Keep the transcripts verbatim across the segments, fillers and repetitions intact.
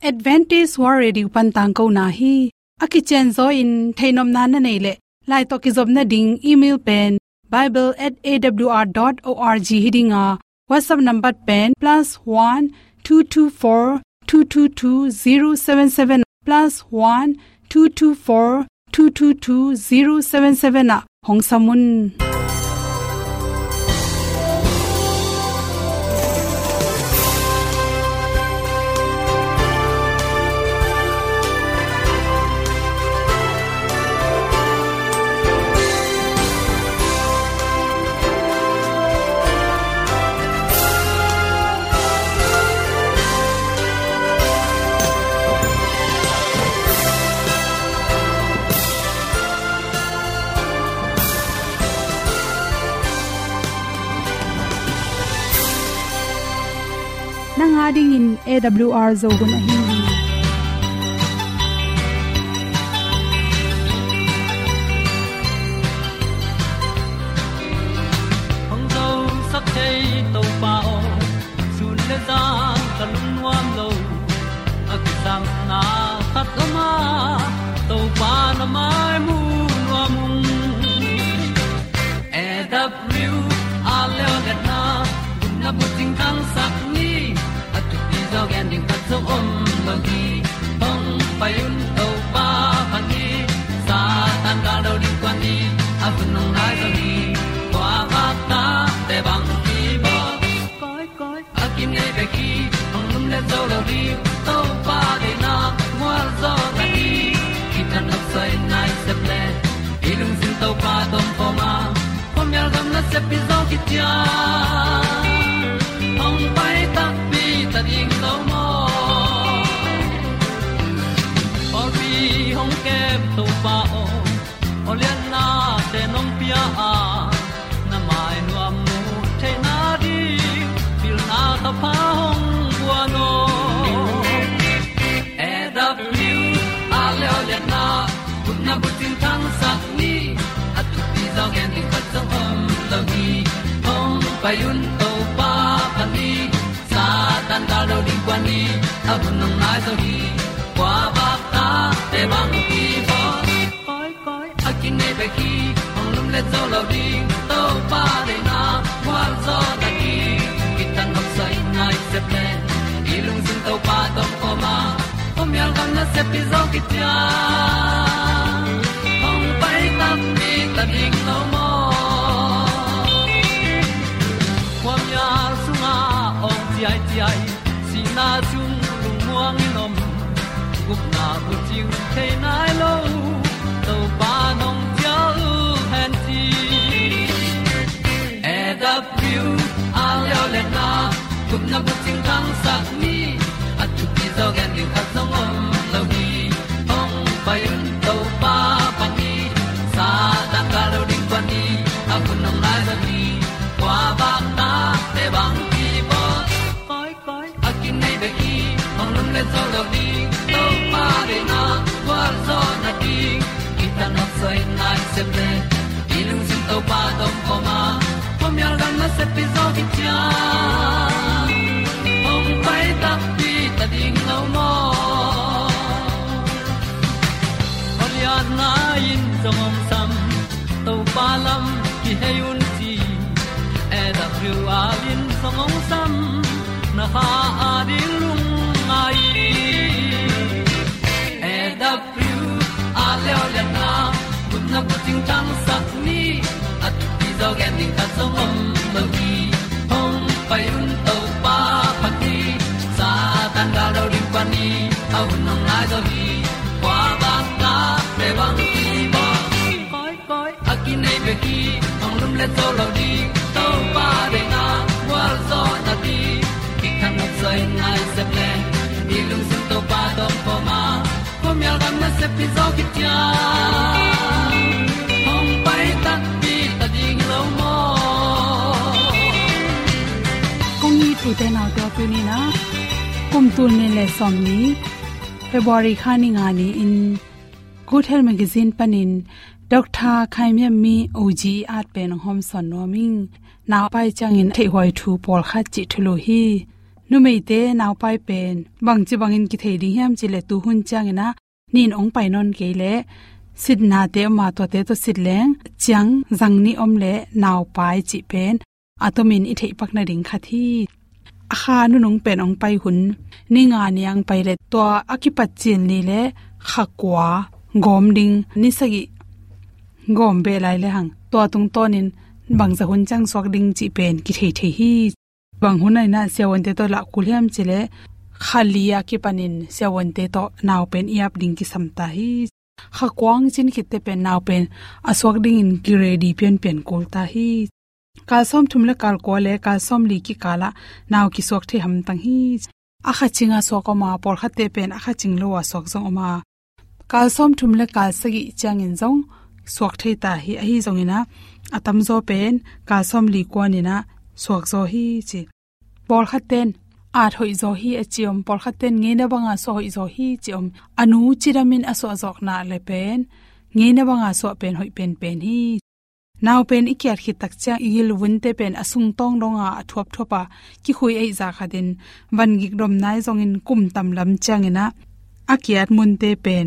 Adventist World Radio pan tangkona hi. A kicianzaw in theihnopna na neih leh, lai tawh kizopna ding email pen bible at A W R dot org hi ding a, WhatsApp number pen plus one two two four two two two zero seven seven, plus one two two four two two two zero seven seven ah hong sam un. Nang a dingin A W R Zo hun ahi hi. Hong zosak thei Topa aw, sun le zan ka lungnuam lo. A kisapna khat om a, Topa na mai mu nuam ung. A W R Zo hun a bucing thangsak ni, a thupi zaw gen ding khat zong om lo hi. Hong pai un Topa phat ni, Satan gal do ding kuan ni, a hun hong nai zaw hi. Kua vak ta te bang hi baw. Koi, koi, a kinei bek hi, hong lumlet zo lo ding, Topa deihna mual zaw ta hi. Kitang nop soi nai sep le, i lungsim Topa tawh om khawm a, khuamial gam nasep pi zaw khit ciang, hong pai takpi ta ding lo maw. Pawlpi hong kem Topa aw, aw liannate nong pia a, na mai nuam mu theihna ding pilna thupha hong guan aw. A W R Zo hun a bucing thangsak ni, a thupi zaw gen ding khat zong om lo hi. Hong pai un Topa phat ni, Satan gal do ding kuan ni, a hun hong nai zaw hi. Kua vak ta te bang hi baw. Koi, koi, a kinei bek hi, hong lumlet zo lo ding, Topa deihna mual zaw ta hi. Kitang nop soi nai sep le, i lungsim Topa tawh om khawm a, khuamial gam nasep pi zaw khit ciang, hong pai takpi ta ding lo maw. Khuamial sungah awng ciaiciai, sihna sung lungmuang in om, gupna bucing thei nai lo, Topa nong cial hen ci. A W R Zo hun a gupna bucing thangsak ni, a thupi zaw gen ding khat zong om lo hi. Hong pai un Topa phat ni, Satan gal do ding kuan ni, a hun hong nai zaw hi. Kua vak ta te bang hi baw. Koi, koi, a kinei bek hi, hong lumlet zo lo ding, Topa deihna gualzawhna ding. Kitang nop soi nai sep le, i lungsim Topa tawh om khawm a, khuamial gam nasep pi zaw khit ciang, hong pai takpi ta ding lo maw. Aw lianna in zong hong sam, Topa lam kihei un ci. A W R in zong hong sam, na kha a ding lungngai. A W R Zo hun a gupna bucing thangsak ni, a thupi zaw gen ding khat zong om lo hi. Hong pai un Topa phat ni, Satan gal do ding kuan ni, a hun hong nai zaw hi. Kua vak ta te bang hi baw. Koi, koi, a kinei bek hi, hong lumlet zo lo ding, Topa deihna gualzawhna ding. Kitang nop soi nai sep le, i lungsim Topa tawh om khawm a, khuamial gam nasep pi zaw khit ciang, hong pai takpi ta ding lo maw. Kong it u te nau te, tuni-in ah, kum tul nih le sawmnih, February kha ni nga ni-in, Good Health Magazine panin Doctor Khai Miam Mee O G at pen hong hawmsawn nuam ing. Nau a pai ciangin theihhuai thu pawlkhat cih thulu hi. Numeite naupai pen bangci bangin kithei ding hiam cih leh tu hun ciangin ah nin hong pai nawn kei leh sitnate om a, tuate tawh sit leng ciang zang nih om leh naupai cih pen a tomin i theih pak nading khat hi. A kha nunung pen hong pai hun ni nga ni ang pai leh tua a kipat cil ni leh kha kua gawm ding, ni sagih gawm beh lai lehang tua tungtawnin bangzah hun ciang suak ding cih pen kithei thei hi. Bang hun ah in ah siavuante tawh lah kul hiam cih leh kha li a kipanin siavuante tawh nau pen i ap ding kisam ta hi. Kha kua hong cin khitte pen nau pen a suak dingin ki ready pianpian kul ta hi. Kal sawmthum leh kal kua leh kal sawmli kikal ah nau kisuak thei hamtang hi. A kha cing a suak om a, pawlkhatte pen a kha cing lo a suak zong om a. Kal sawmthum leh kal sagih ciangin zong suak thei ta hi. Ahi zongin ah a tamzaw pen kal sawmli kuanin ah suak zaw hi ci. Pawlkhatte'n at hoih zaw hi a ci om, pawlkhatte'n ngeina banga suah hoih zaw hi ci om. A nu cidamin a suah zawkna leh pen ngeina banga suah pen hoih penpen hi. Nau pen i kiat khit tak ciang i gilvunte pen a sungtawng donga a thuapthuap a, kikhui ahih zah khatin vangik dom nai zongin kum tam lam ciangin ah a kiat munte pen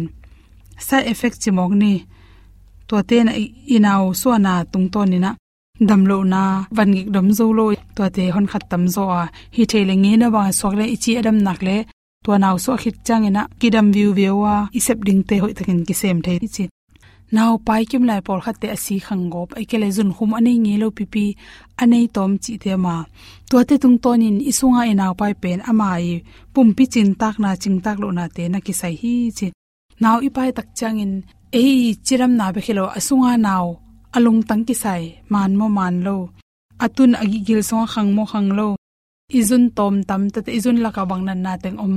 side effect ci mawk ni, tuate in ah i, i nau suahna tungtawnin ah damlohna, vangik dom zo lo, tuate honkhat tamzaw a, hi thei leh ngeina banga suak leh i ci a dam nak leh tua nau suah khit ciangin ah kidam viuviu a, i sep dingte hoihtakin kisem thei hi ci. Naupai kim lai pawlkhatte a si khang gawp, ahih kei leh zunkhum a nei ngei lo pipi a nei tawm cihte om a, tuate tungtawnin i sunga i naupai pen ama i pumpi cintakna, cintak lohnate na kisai hi ci. Nau i pai tak ciangin ei i cidamna bek hi lo, a sunga nau a lungtang kisai, man maw man lo, a tun a gigil sungah khang maw khang lo, i zun tawm tam, tuate i zun lakah bang natna teng om,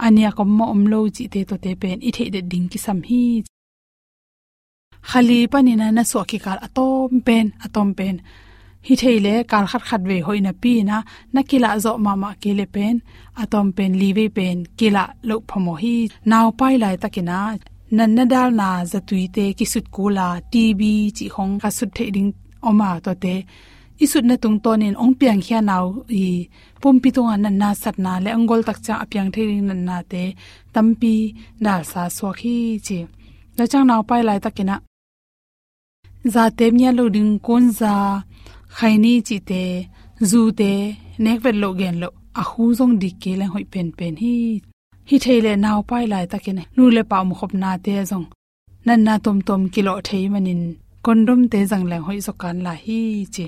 a niak om maw om lo cihte tuate pen i theih det ding kisam hi. Kha li panin ah na suah kikal a tawm pen, a tawm pen hi thei leh kal khat khat vei hoih napi-in ah na kilah zawh mahmah kei leh pen a tawm pen li vei pen kilah loh phamawh hi. Naupai laitakin ah natna dalna zatuite kisut kul a, T B cih khong ka sut theih ding om a, tuate i sutna tungtawnin hong piangkhia nau i pumpi tungah natna satna leh hong gol tak ciang a piang thei ding natnate tampi dalsa suak hi ci. Tua ciang naupai laitakin ah zate ngiat lo ding kunza, khaini cihte, zute nek vet loh gen loh, a hu zong dik kei leng hoih penpen hi. Hi thei leh naupai laitakin nu leh pa omkhopnate zong natna tuamtuam kilawh thei manin condomte zang leng hoih zaw kan lai hi ci.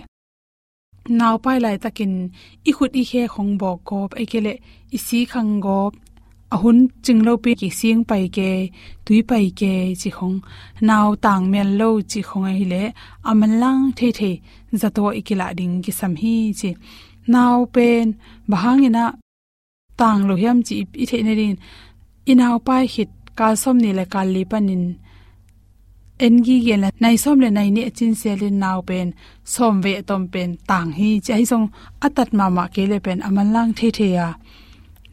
Naupai laitakin i khut i khe khong bawk gawp, ahih kei leh i si khang gawp, a hun cing lopi kising pai kei, tui pai kei cih khong, nau tang mial lo cih khong ahih leh a manlang theithei zato i kilah ding kisam hi ci. Nau pen bang hangin ah tang lo hiam cih i, i theih nadingin i naupai khit kal sawmnih leh kal li panin en gige leh nai sawm leh nai nih a cin selin nau pen sawm vei a tawm pen tang hi ci. Ahi zong a tat mahmah kei leh pen a manlang theithei a,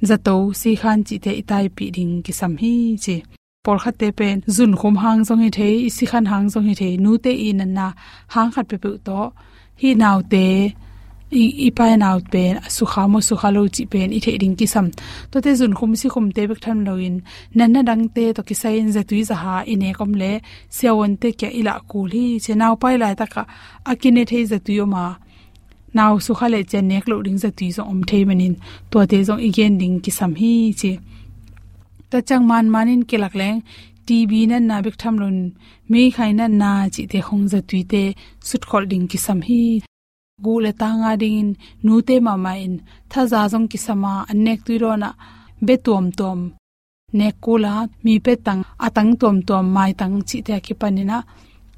zato, sikhan cihte i taipih ding kisam hi ci. Pawlkhatte pen zunkhum hang zong hi thei, i sikhan hang zong hi thei, nute i natna hang khat peuhpeuh tawh hih naute, i, i pai nau pen a sukha maw sukha lo cih pen i theih ding kisam. Tuate zunkhum sikhumte bek tham loin natna dangte tawh kisai-in zatui zaha i nek om leh siavuante kiang i lah kul hi ci. Naupai laitakah a kine thei zatui om a, nau sukha leh ciang nek loh ding zatui zong om thei manin tuate zong i gen ding kisam hi ci. Tua ciang manmanin kilak leng T B natna bek tham loin meikhai natna cihte khong zatuite sutkholh ding kisam hi. Guh leh tang a dingin nute mahmah in thaza zong kisam a, an nek tui dawnah bia tuamtuam nek kul a, mi pia tang, a tang tuamtuam, maitang cihte a kipanin ah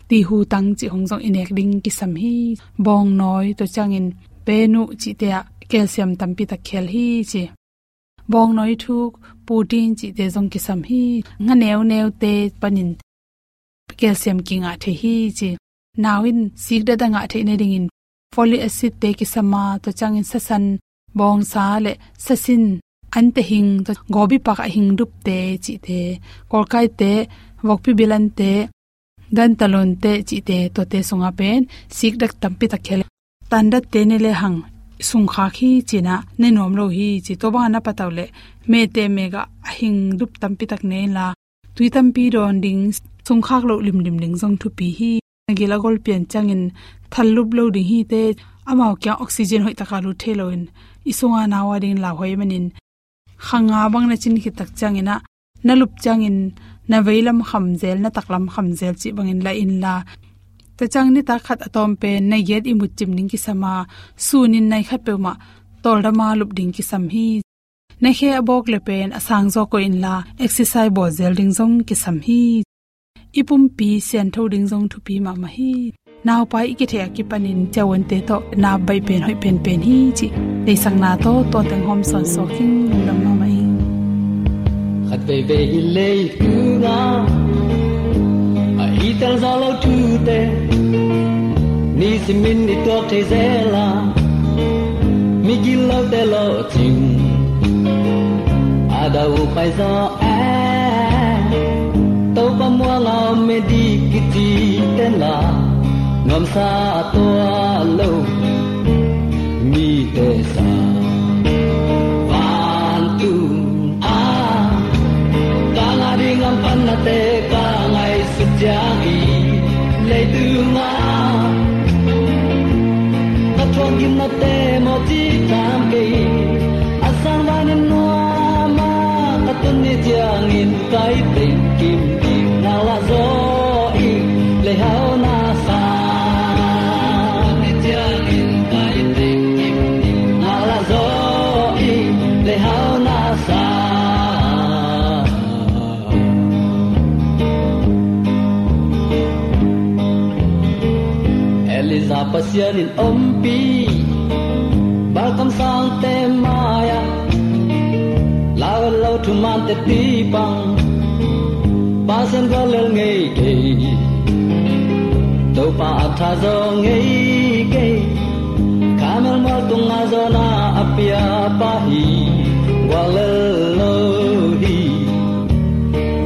tihu tang cih khong zong i nek ding kisam hi. Bawngnawi, tua ciangin penuh cihte ah calcium tampi tak khel hi ci. Bawngnawi thuk, protein cihte zong kisam hi. Nga neuneute panin calcium kingah thei hi ci. Nau in sikdat a ngah theih nadingin folic acid-te kisam a, tua ciangin sasan, bawngsa leh sasin, ante hing, tua gobi pak a hing dupte cihte, kawlkaite, vokpi bilante, dantalonte cihte, tuate sungah pen sikdat tampi tak khel. Tandatte ne lehang sungkhak hi ci-in ah ne nuam lo hi ci. Tua bangah na patauh leh mehte mekah a hing dup tampi tak ne inla, tui tampi dawn ding, sungkhak loh limlim ding zong thupi hi. Na gil a gol pian ciangin thal lup lo ding hi teh, amau kiang oxygen hoih takin lut thei loin i sungah nau a dingin lauhuai manin, kha nga bang na cin khit tak ciangin ah, na lup ciangin na veilam kham zel, na taklam kham zel cih bangin la inla. Tua ciang nitak khat a tawm pen nai giat ihmut cim ding kisam a, sunin nai khat peuhmah tawldam a lup ding kisam hi. Na khe a bawk le pen a sang zaw koih inla, exercise bawl zel ding zong kisam hi. I pumpi siangtho ding zong thupi mahmah hi. Naupai i kitheih a kipanin ciauante tawh na baih pen hoih penpen hi cih theihsakna tawh tua teng hawm sawnsawn ing. Lungdam mahmah ing. Khat veivei hi leitungah a i tel zawh lo thute, nisimin i tuak thei zel a, migil lote lawhcing a dah uh pai zaw e. Topa muang a om medik kici tenla, nuamsa a tuah lo mite sa. Vantung a ka ngah ding hamphatnate ka ngaihsut ciangin, leitungah ka thuak gimnate mawh ci tham kei. A sang vanin nuam a ka tun ni ciangin ka i tengkim ding ngaklah zaw ing. Leihau na sa, tun ni ciangin ka i tengkim ding ngaklah zaw ing. Leihau na sa. Elijah Pasian in ompih Baal kamsangte mai-ah, lau lo thuman teci pang, Pasian guallel ngei kei, Topa a tha zaw ngei kei. Karmel mual tungah zawn a a piapa hi, guallel lo hi.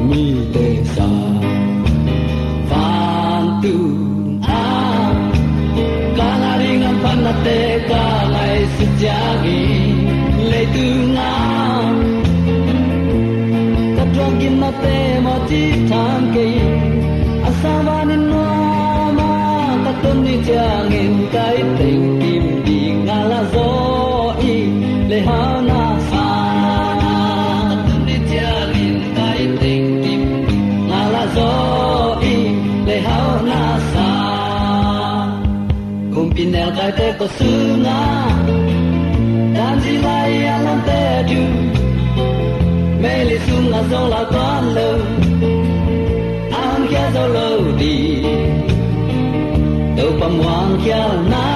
Mite sa, vantung a ka ngah ding hamphatnate ka ngaihsut ciangin, leitungah ka thuak gimnate mawh ci tham kei. A sang vanin nuam a ka tun ni ciangin ka i tengkim ding ngaklah zaw ing. Leihau na sa, ka tun ni ciangin ka i tengkim ding ngaklah zaw ing. Leihau na sa. Kumpi nelkaite kua sungah, dan ci lai a lawmte thu, meili sungah zong lau tuan lo, a hong khia zo lo ding. Topa muang khialna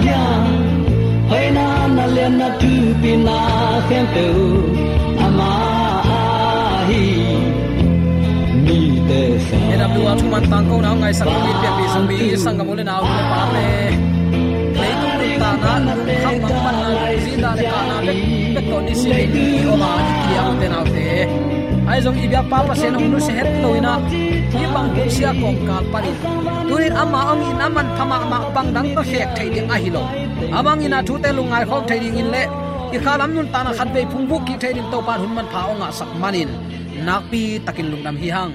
hiam, hoihna, na liatna, thupina khempeuh ama ahi. Mite sa. A W R thuman tangkona hong ngaihsak mi pianpih Zomi sanggam u le nau, nu le pate, leitung nuntakna lungkham mangpanna, zin dah le kahna bek, bek tawh nisimin i om a, i kiang u te nau te, ahi zong i biakpa Pasian hong nusia het lo in ah, hih bang hun sia kawmkal panin, tuni-in ama hong itna manpha mahmah, bang dang tawh khek theih ding ahi lo. Amah hong itna thute lungngai khawm thei dingin le i khalam nuntakna khatvei phungvuh kik thei dingin Topa in hun manpha hong ngahsak manin nakpi takin lungdam hi hang.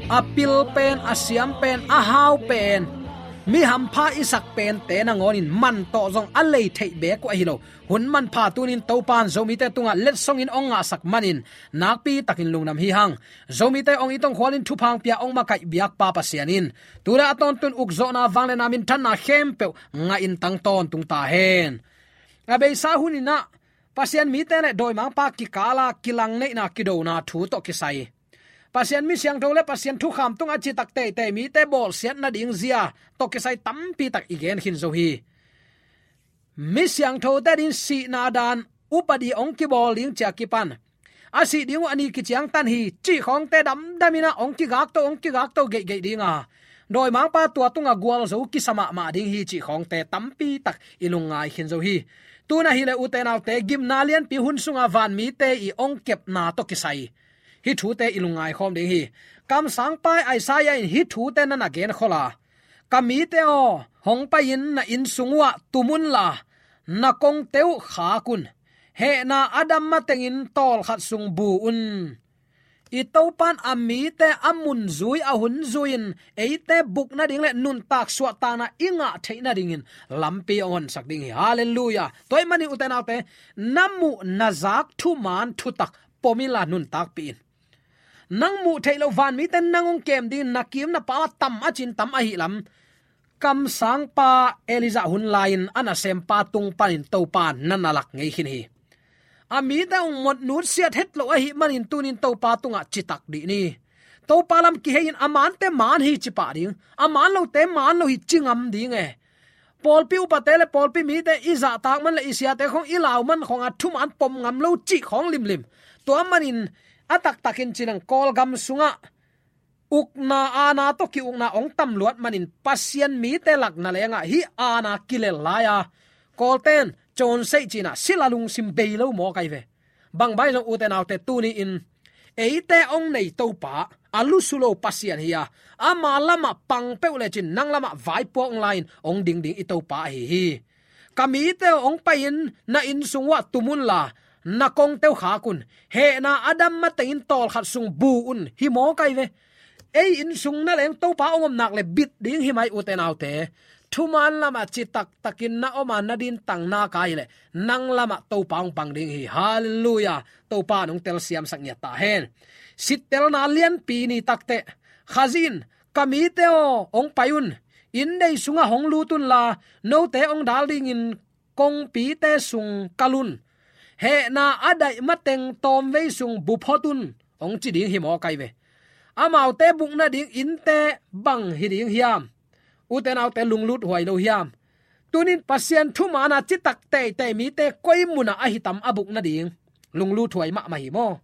A pil pen, a siam pen, a hau pen, mi hampha i sak pente nangawnin man tawh zong a lei theih beek uh ahi lo. Hun manpha tuni-in Topa in Zomite tungah letsongin hong ngahsak manin nakpi takin lungdam hi hang. Zomite hong it hong khualin thupha hong pia hong makaih biakpa Pasian in tu le a tawntung ukzawhna, vangliatna, minthanna khempeuh ngahin tang tawntung ta hen. A beisa hun in ah Pasian mite le dawimangpa kikala kilangneihna, kidona thu tawh kisai, Pasian mi siangtho le Pasian thukham tungah citak teitei mite bawlsiat nading zia tawh kisai tampi tak i gen khin zo hi. Mi siangthote dingin sihna dan upadi hong kibawl ding ci-a kipan, a sih ding uh a ni kiciangtan hi cih khawngte damdamin ah hong kigakto, hong kigakto geihgeih ding a, dawimangpa tua tungah gualzo kisa mahmah ding hi cih khawngte tampi tak i lungngai khin zo hi. Tu-in ahih leh ute naute, gimna lianpi hun sungah vanmite i hong kepna tawh kisai hih thute i lungngai khawm ding hi. Kamsangpa Isaiah in hih thute na na genkhol a, ka mite aw, hong pai-in na inn sung uhah tum unla, na kongte uh khak un. Hehna a dam matengin tawlkhat sung bu un. I Topa'n a mite a mun zui, a hun zui-in eite buk nading le nuntak suahtakna i ngah theih nadingin lampi a honsak ding hi. Halleluiah. Tua ahih manin ute naute, na muh na zak thuman thutak pom inla nuntakpih in. Nang muh theih loh vanmite nang hong kem dingin na kim na pam a tam a cin tam ahih lam, kamsangpa Elijah hun lai-in a nasempa tung panin Topa na na lak ngei khin hi. A mite hong mawk nutsiat het loh ahih manin tunin Topa tungah citak dih ni. Topa lam kihei-in a mante man hi ci pah ding, a man lote man lo hi ci ngam ding e. Pawlpi upate le pawlpi mite i zahtak man le i siate khawng, i lau man khawng a thuman pom ngam lo cih khawng limlim. Tua manin a taktakin ci-in Kawlgam sungah ukna aana tawh ki-ukna hong tam luat manin Pasian mite lak nangawn ah hih aana kilel lai-a, Kawlten cawnseih ci-in ah sila lungsim bei lo mawk ahi ve. Bang bang zong ute naute, tuni-in eite hong nei Topa a lusu lo Pasian hi-a, ama lamah pang peuh lecin nang lamah vaipuak hong la-in hong ding ding i Topa ahi hi. Ka mite aw, hong pai-in na inn sung uah tum unla, na kongte uh khak un. Hehna a dam matengin tawlkhat sung bu un, hi mawk ahi ve. Ei inn sung nangawn Topa hong om nak le bit ding hi mai ute naute. Thuman lamah citak takin na om a, na dintang nak ahi leh nang lamah Topa hong pang ding hi. Halleluiah. Topa in hong telsiamsak ngiat ta hen. Sittelna lianpi ni takteh, Khazih in, ka mite aw, hong pai un. Inndei sungah hong lut unla, note hong dal dingin kongpite sung kal un. Hehna a daih mateng tawmvei sung bu phot un, hong ci ding hi mawk ahi ve. Amaute buk nading innte bang hi ding hiam? Ute naute, lunglut huai lo hiam? Tunin Pasian thuman a citak teitei mite koi munah ahi tam a buk nading? Lunglut huai mahmah hi maw.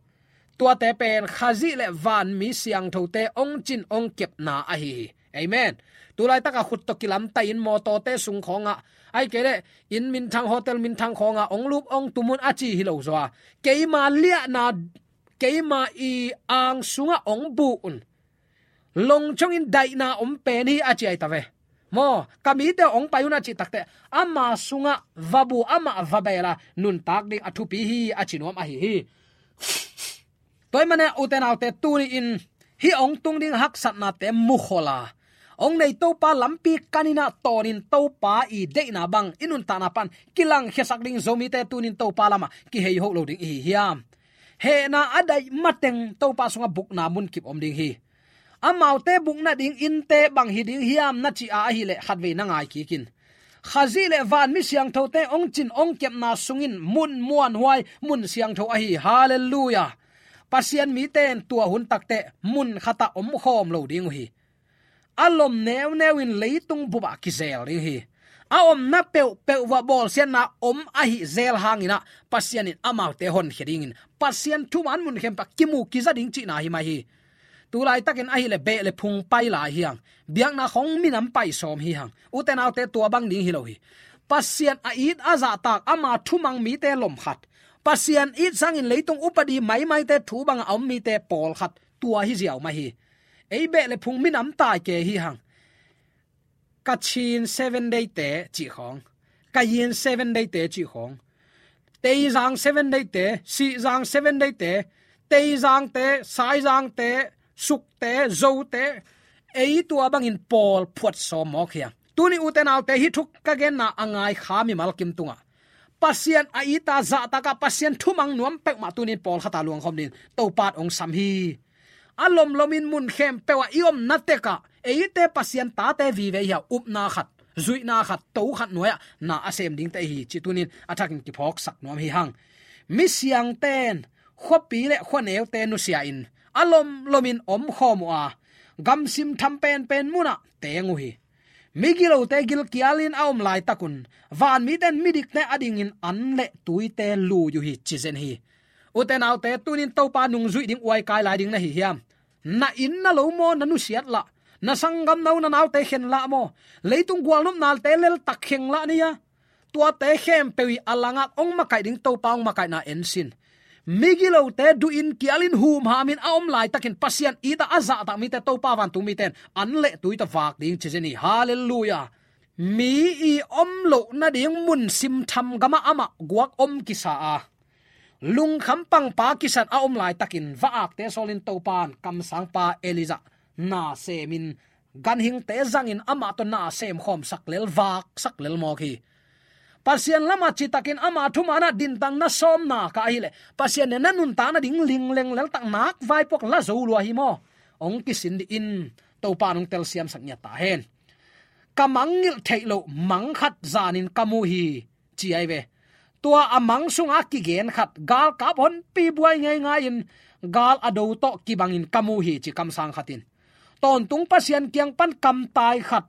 Tuate pen Khazih le vanmi siangthote hong cin hong kepna ahi hi. Amen. Tulaitakah khut tawh kilamtai-in mawtawte sung khawngah, ahih kei leh inn minthang, hotel minthang khawngah hong lup hong tum un a ci hi lo zaw a, keima liahna, keima i ang sungah hong bu un. Longchongin daihna om pen hi a ci ahi ta ve. Maw, ka mite aw, hong pai un a cih takteh, ama sungah va bu, amah va bel a, nuntak ding a thupi hi a ci nuam ahi hi. Tua ahih manin ute naute, tuni-in hih hong tung ding haksatnate mukhol a, hong nei Topa lampi kanin ah tawnin Topa i deihna bang i nuntakna pan kilangkhiasak ding Zomite tunin Topa lamah kihei hoh lo ding i hi hiam? Hehna a daih mateng Topa sungah bukna munkip om ding hi. Amaute buk nading innte bang hi ding hiam na cih a ahih leh khatvei na ngai kik in. Khazih le vanmi siangthote hong cin hong kepna sungin mun muanhuai, mun siangtho ahi. Halleluiah. Pasian mite in tua hun takteh mun khatah omkhawm lo ding uh hi. A lom neuneu in leitung bupah kizel ding hi. A omna peuhpeuh uah bawlsiatna om ahih zel hangin ah Pasian in amaute honkhia dingin Pasian thuman mun khempeuh ah kimu kiza ding cihna hi mai hi. Tulaitakin ahih leh beh le phung pai lai hi hang. Biakna khawng minam pai sawm hi hang. Ute naute, tua bang ding hi lo hi. Pasian a it a zahtak, ama thumang mite lom khat, Pasian it sangin leitung upadi maimaite thu bangah a om mite pawlkhat, tua hi ziau mah hi. Ei beh le phung minam tai kei hi hang. Kachin Seven Day te cih khawng, Kayin Seven Day te cih khawng, Teizang Seven Day te, Sihzang Seven Day te, Teizang te, Saizang te, Suk te, Zo te, ei tua bangin pawl phuat sawm mawk hi hang. Tuni ute naute, hih thu ka genna a ngai kha mimal kim tungah Pasian a it a zahtakah Pasian thumang nuam peuhmah tunin pawlkhat a luangkhawm dingin Topa in hong sam hi. A lomlomin mun khempeuh ah i omna tekah eite Pasian tate vive hi a, upna khat, zuihna khat, to khat nuai-ah na a sem dingte i hi cih tunin a thakin kiphawksak nuam hi hang. Misiangte in khuapi le khuaneute nusia-in a lomlomin omkhawm uh a, gamsim tham penpen munah teng uh hi. Migilote gilkialin a om laitakun vanmite in midikte adingin an le tuite lui uh hi, ci zen hi. Ute naute, tunin Topa nungzuih ding uaikai lai ding na hi hiam? Na inn na lo maw na nusiat lah? Na sanggam na u na naute khen lah maw? Leitung gualnopnate leltak kheng lah ni a, tuate khempeuh i a langak hong makaih ding Topa hong makaihna ensin. Migilote duhin kialin humhamin a om laitakin Pasian it a a zahtak mite Topa vantung mite in an le tui tawh vak ding, ci zen hi. Halleluiah. mi i om loh nading mun simtham gamah amah guak om kisa a, lungkham pangpa kisan a om laitakin va akte sawlin Topan kamsangpa Elijah na semin ganhingte zangin amah tawh na sem khawmsak lel, vaksak lel mawk hi. Pasian lamah citakin ama thumanah dintang na sawm nak a ahileh Pasian in na nuntak nading lingleng leltak nak vaipuak la zo lua hi maw? Hong kisin dih in, Topan hong telsiamsak ngiat ta hen. Ka mangngilh theih loh mang khat zanin ka mu hi, ci ahi ve. Tua a mang sungah kigen khat, galkap honpi buai ngeingai-in gal a do tawh kibangin ka mu hi, ci kamsang khat in. Tawntung Pasian kiang pan kamtai khat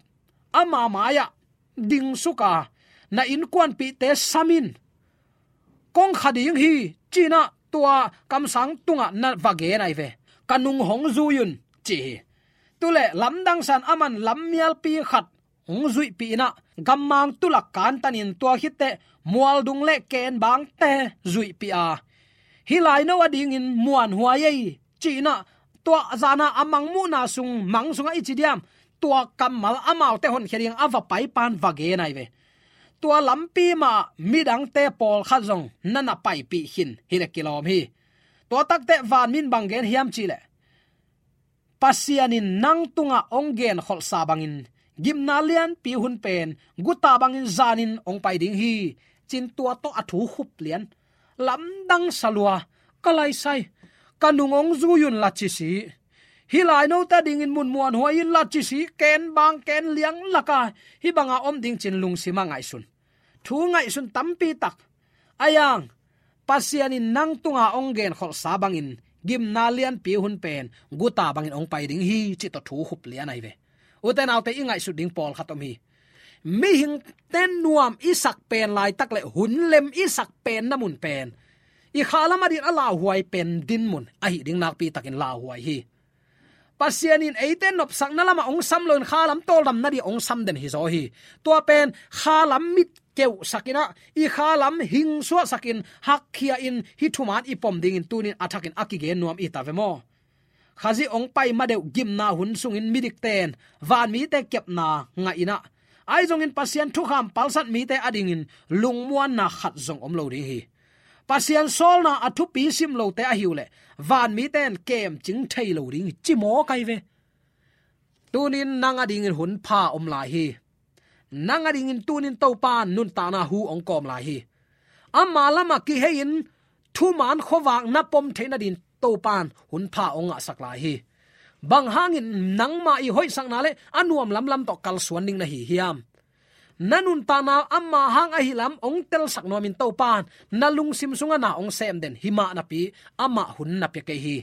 ama mai-ah dingsuka, na innkuanpihte samin kong kha ding hi, ci-inah tua kamsang tungah na va gen ahi ve. Ka nung hong zui un, ci hi. Tuleh lamdang san aman lammialpi khat hong zuihpih inah, gammang tulak kantanin tua khitteh mualdung le kenbangte zuihpih a, hih laino a dingin muanhuai ei, ci-inah tua zana a mangmuhna sung, mang sungah i ci diam, tua kammal amaute honkhia ding a va paipan va gen ahi ve. Tua lampi mah midangte pawlkhat zong na na paipih khin hileh kilawm hi. Tua takteh vanmin bang gen hiam cihleh, Pasian in nang tungah hong genkholhsa bangin gimna lianpi hun pen guta bangin zanin hong pai ding hi, ci-in tua tawh a thu khup lian. Lamdang sa lua, ka laisai, ka nung hong zui un la ci si. Hih lainote a dingin mun muanhuai in la ci si, kenbang kenliang laka hih banga om ding ci-in lungsimah ngaihsun. Thu ngaihsun tampi tak. A yang, Pasian in nang tunga hong genkholhsa bangin gimna lianpi hun pen guta bangin hong pai ding hi, cih tawh thu khup lian ahi ve. Ute naute, i ngaihsut ding pawlkhat om hi. Mihingte nuam i sak pen laitak le hun lem i sak pen na mun pen, i khalam a dingin a lauhuai pen dinmun ahi ding nakpi takin lauhuai hi. Pasian in eite nopsakna lamah hong sam loin khalam tawldamna ding hong sam den hizaw hi. Tua pen khalam mit keuhsak inah, i khalam hingsuahsakin, hakkhia-in, hih thuman i pom dingin tunin a thakin a kigen nuam i ta ve maw? Khazih hong pai madeuh gimna hun sungin midikten vanmite kepna ngah inah, ahi zongin Pasian thukham palsat mite a dingin lungmuanna khat zong om lo ding hi. Pasian sawlna a thupi sim lote ahi uhleh vanmite in kemcing thei lo ding hi, ci mawk ahi ve. Tunin nang a dingin hun pha om lai hi. Nang a dingin tunin Topan nuntakna hu hong kawm lai hi. Ama lamah kihei-in thuman khuavak na pom theih nadin Topan hun pha hong ngahsak lai hi. Bang hangin nangmah i hoihsakna le a nuam lamlam tawh kalsuan ding na hi hiam? Na nuntakna ama hang ahi lam hong telsak nuamin Topan na lungsim sungah na hong sem den hi mah napi, amah hun na pia kei hi.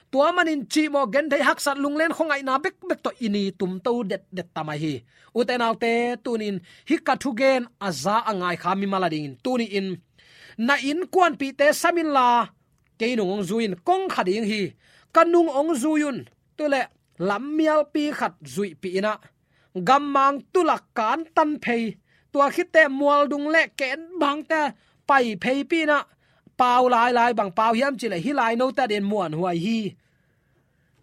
Tua manin cihmawh genthei haksat lunglen khuangaihna bekbek tawh i ni tumto detdet ta mai hi. Ute naute, tunin hih ka thugen a za a ngaikha mimal a dingin tuni-in na innkuanpihte sam inla, kei nung hong zui in, kong kha ding hi. Ka nung hong zui un. Tuleh lammialpi khat zuihpih inah, gammang tulak kantan phei, tua khitteh mualdung le kenbangte pai pheipi inah, pau lailai, bang pau hiam cihleh hih lainote a dingin muanhuai hi.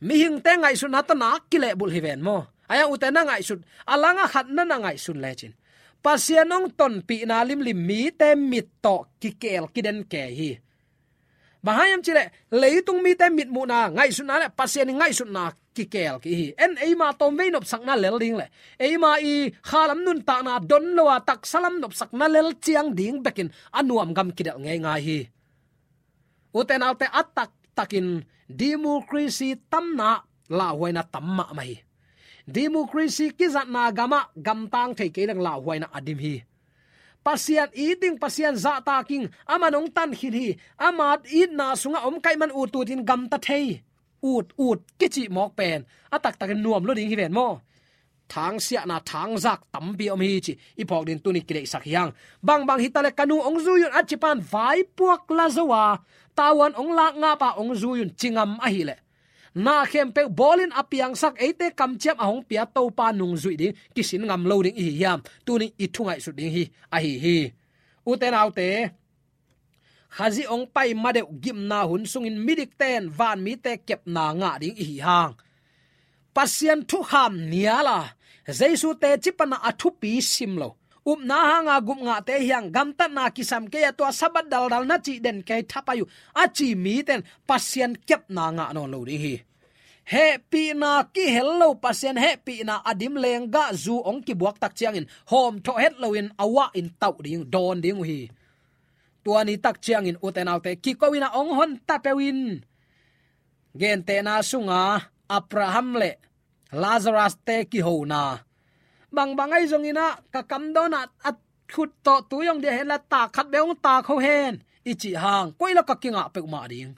Mihingte ngaihsutna tawh nak kilehbulh hi ven maw? Ahi hang ute, na ngaihsut a langah khat na na ngaihsun lecin, Pasian hong tonpihna limlim mite mit tawh kikel kiden kei hi. Bang hang hiam cihleh leitung mite mitmuhna, ngaihsutna le Pasian i ngaihsutna kikel kei hi. En eima tawmvei nopsakna lel ding le eima i khalam nuntakna don lo a taksalam nopsakna lel ciang ding bekin a nuam gam kidelh ngeingai hi. Ute naute, a taktakin democracy tamna lauhuaina tam mahmah hi. Democracy kizatna gamah gamtang thei kei leng lauhuaina a dim hi. Pasian it ding, Pasian zahtak ing, aman hong tan khin hi. Ama itna sungah om kaih man utut in gamta thei, utut kicih mawk pen a taktakin nuam lua ding hi ven maw? Thangsiahna, thangzak tampi om hi, ci i phawk ding tuni kideihsak hi hang. Bangbang hitaleh ka nu hong zui un a cipan vaipuak la zo a, tavuan hong lak ngapa hong zui un ci ngam ahileh, na khempeuh bawlin a piangsak, eite kamciam a hong pia Topa nungzuih ding kisin ngam lo ding i hi hiam? Tuni i thu ngaihsut ding hi ahi hi. Ute naute, Khazih hong pai madeuh gimna hun sungin midikte in vanmite kepna ngah ding i hi hang. Pasian thukham nial a, Jesu teci pana a thupi sim lo, upna hanga gupngahte hiang, gamtatna kisam kei a, tua Sabbath daldal na cih den kei thapai uh, a ci mite in Pasian kepna ngah nawn lo ding hi. Hehpihna kihel lo, Pasian hehpihna a dim lenggahzu hong kibuak tak ciangin hawmthawh het loin a uah in tauh ding, dawn ding uh hi. Tua ni tak ciangin ute naute, kiko in a hong hon ta peuh in. Gentehna sunga Abraham le Lazarus te kihona, bangbang ahi zongin ah ka kamdawn ah a khut tawh tui hong dia hen la, tak khat bek hong tak ho hen i cih hang, koi la ka kingah peuhmah ding.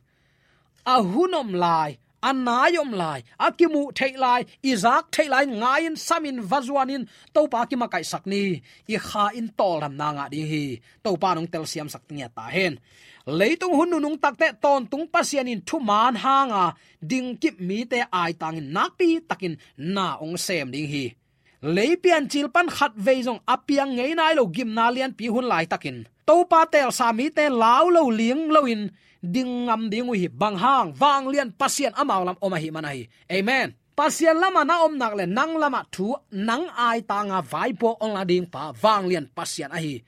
A hun om lai, a nai om lai, a kimuh theih lai, i zak theih lai, ngai-in, samin, va zuanin Topa kimakaihsak ni. I kha in tawldamna ngah ding hi. Topa in hong telsiamsak ngiat ta hen. Leitung hun nunung takte tawntung Pasian in thuman hanga dingkip mite aitangin nakpi takin na hong sem ding hi. Lei piancil pan khatvei zong a piang ngei nai lo gimna lianpi hun laitakin Topa teelsa mite lau lo ling loin ding ngam ding uh hi. Bang hang? Vanglian Pasian amau lam om ahih man ahi. Amen. Pasian lamah na om nak le nang lamah thu, nang aitanga vaipuak hong la ding pa vanglian Pasian ahi.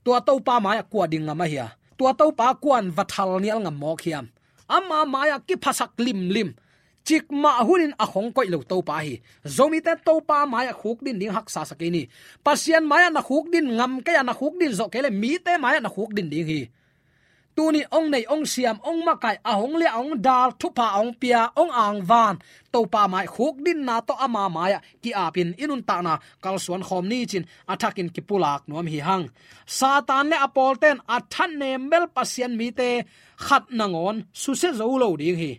Tua Topa mai-ah kua ding ngam ahi a? Tua Topa kuan va thal nial ngam mawk hiam? Ama mai-ah kiphasak limlim, cikmah hunin a khong koih lo Topa hi. Zomite Topa mai-ah khukdin ding haksa sa kei ni. Pasian mai-ah na khukdin ngam kei a, na khukdin zawh kei le mite mai-ah na khukdin ding hi. Tuni hong nei, hong siam, hong makaih, a hong liah, a hong dal, thupha a hong pia, hong angvan Topa mai khukdinna tawh ama mai-ah ki-apin i nuntakna kalsuan khawm ni cin a thakin kipulak nuam hi hang. Satan le a pawlten a thatnem bel Pasian mite khat nangawn susia zo lo ding hi.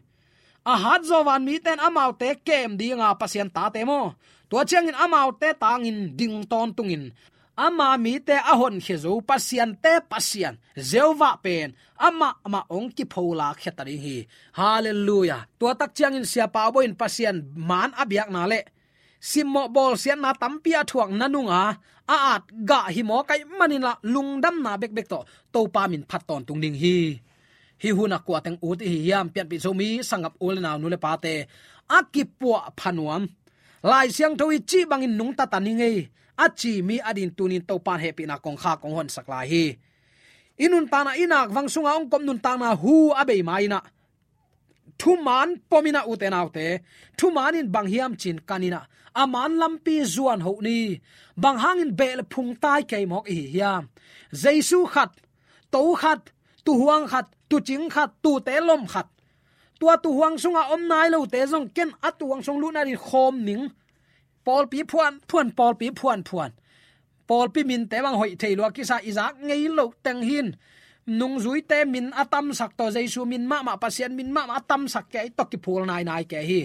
A hat zawh van miten amaute kem dinga Pasian tate maw, tua ciangin amaute tangin ding tawntungin ama mite a honkhia zo Pasiante Pasian Jehovah pen amah mah hong kipholak khia ta ding hi. Halleluiah. Tua tak ciangin siapa boin Pasian man a biakna le simmawh bawlsiatna tampi a thuakna nunga a at gah hi mawk ahih manin ah lungdamna bekbek tawh Topa min phat tawntung ding hi. Hih hun a kua teng ut i hi hiam? Pianpih Zomi sanggam u le nau, nu le pate, a kipuah pha nuam, Lai Siangtho i cih bangin nungta ta ni ngei a ci mi a ding tunin Topa in hehpihna kongkhak hong honsak lai hi. I nuntakna, i nakvang sunga hong kop nuntakna hu a bei ma-in ah thuman pom in ah, ute naute, thuman in bang hiam cin kan in ah, a man lampi zuan hoh ni. Bang hangin beh le phung tai kei mawk i hi hiam? Jesu khat, to khat, tuuhuang khat, tuucing khat, tuute lom khat. Tua tuuhuang sunga om nai lote zong ken a tuuhuang sung lutna ding khawm ning. Pawlpi phuan phuan, pawlpi phuan phuan. Pawlpi minte bang hoih thei lua kisa, i zak ngei loh teng hin. Nungzuite min a tamsak tawh, Jesu min mahmah, Pasian min mahmah a tamsak kei tawh kiphul nainai kei hi.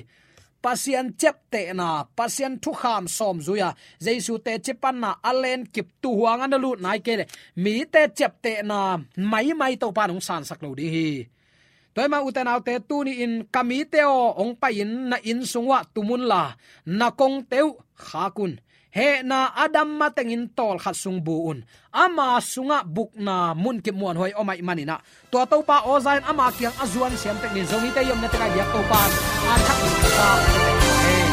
Pasian ciaptehna, Pasian thukham sawm zui-a Jesu teci panna a lenkip, tuuhuang a na lut nai kei le mite ciaptehna maimai Topa in hong sansak lo ding hi. Tua ahih manin ute naute, tuni-in ka mite aw, hong pai-in na inn sung uah tum unla, na kongte uh khak un. Hehna a dam matengin tawlkhat sung bu un. Ama sungah bukna munkip muanhuai om ahih manin ah, tua Topa aw za-in ama kiang a zuan siam tek ni. Zomite i omna teng ah i biak Topa in a thak in sa. Amen.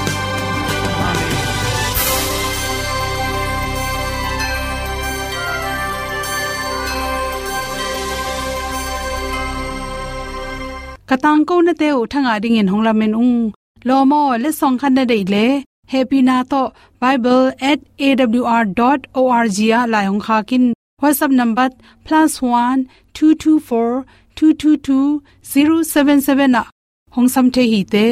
Ka tangkonate uh thangah dingin hong lamen ung. Lawm aw, letsong khat na deih leh, hehpihna tawh bible at A W R dot O R G ah lai hong khak in. WhatsApp number plus one two two four two two two zero seven seven ah hong sam thei hi te.